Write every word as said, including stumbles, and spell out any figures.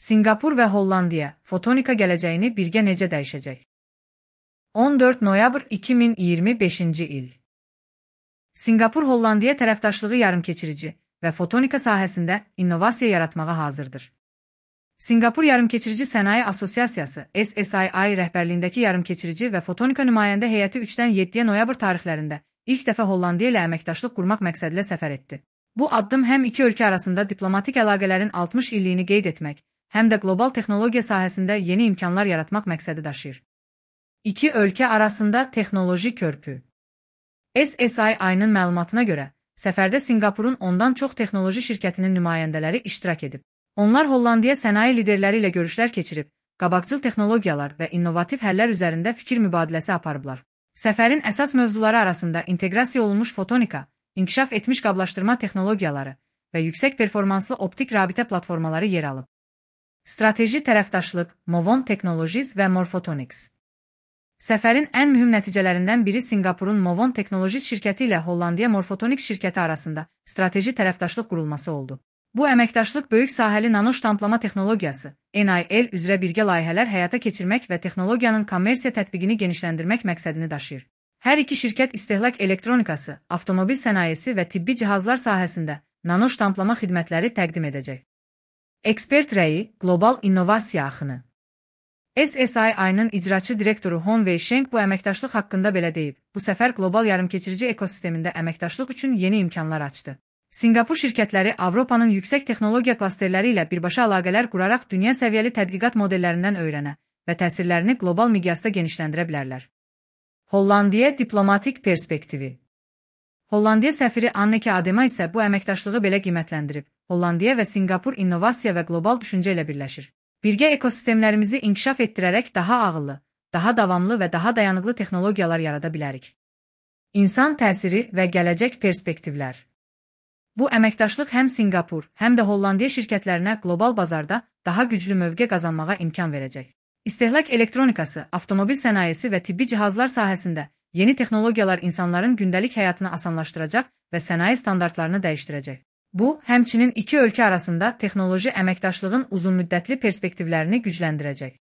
Singapur və Hollandiya fotonika gələcəyini birgə necə dəyişəcək? on dörd noyabr iki min iyirmi beşinci il. Singapur Hollandiya tərəfdaşlığı yarımkeçirici və fotonika sahəsində innovasiya yaratmağa hazırdır. Singapur Yarımkeçirici Sənaye Assosiasiyası S S I I rəhbərliyindəki yarımkeçirici və fotonika nümayəndə heyəti üçdən yeddiyə noyabr tarixlərində ilk dəfə Hollandiya ilə əməkdaşlıq qurmaq məqsədilə səfər etdi. Bu addım həm iki ölkə arasında diplomatik əlaqələrin altmış illiyini qeyd etmək, həm də qlobal texnologiya sahəsində yeni imkanlar yaratmaq məqsədi daşıyır. İki ölkə arasında texnoloji körpü. S S I I-nın məlumatına görə, səfərdə Singapurun ondan çox texnoloji şirkətinin nümayəndələri iştirak edib. Onlar Hollandiya sənaye liderləri ilə görüşlər keçirib, qabaqcıl texnologiyalar və innovativ həllər üzərində fikir mübadiləsi aparıblar. Səfərin əsas mövzuları arasında inteqrasiya olunmuş fotonika, inkişaf etmiş qablaşdırma texnologiyaları və yüksək performanslı optik rabitə platformaları yer alıb. Strateji tərəfdaşlıq, Movon Technologies və Morphotonics. Səfərin ən mühüm nəticələrindən biri Singapurun Movon Technologies şirkəti ilə Hollandiya Morphotonics şirkəti arasında strateji tərəfdaşlıq qurulması oldu. Bu əməkdaşlıq böyük sahəli nano ştamplama texnologiyası, N I L üzrə birgə layihələr həyata keçirmək və texnologiyanın kommersiya tətbiqini genişləndirmək məqsədini daşıyır. Hər iki şirkət istehlak elektronikası, avtomobil sənayesi və tibbi cihazlar sahəsində nano ştamplama xidmətləri təqdim edəcək. Ekspert rəyi, qlobal innovasiya axını. S S I I-nın icraçı direktoru Hong Wei Sheng bu əməkdaşlıq haqqında belə deyib, bu səfər qlobal yarımkeçirici ekosistemində əməkdaşlıq üçün yeni imkanlar açdı. Singapur şirkətləri Avropanın yüksək texnologiya klasterləri ilə birbaşa əlaqələr quraraq dünya səviyyəli tədqiqat modellərindən öyrənə və təsirlərini qlobal miqyasda genişləndirə bilərlər. Hollandiya diplomatik perspektivi. Hollandiya səfiri Anneke Adema isə bu əməkdaşlığı belə qiymətləndirib. Hollandiya və Singapur innovasiya və qlobal düşüncə ilə birləşir. Birgə ekosistemlərimizi inkişaf etdirərək daha ağıllı, daha davamlı və daha dayanıqlı texnologiyalar yarada bilərik. İnsan təsiri və gələcək perspektivlər. Bu əməkdaşlıq həm Singapur, həm də Hollandiya şirkətlərinə qlobal bazarda daha güclü mövqe qazanmağa imkan verəcək. İstehlak elektronikası, avtomobil sənayesi və tibbi cihazlar sahəsində yeni texnologiyalar insanların gündəlik həyatını asanlaşdıracaq və sənaye standartlarını dəyişdirəcək. Bu, həmçinin iki ölkə arasında texnoloji əməkdaşlığın uzunmüddətli perspektivlərini gücləndirəcək.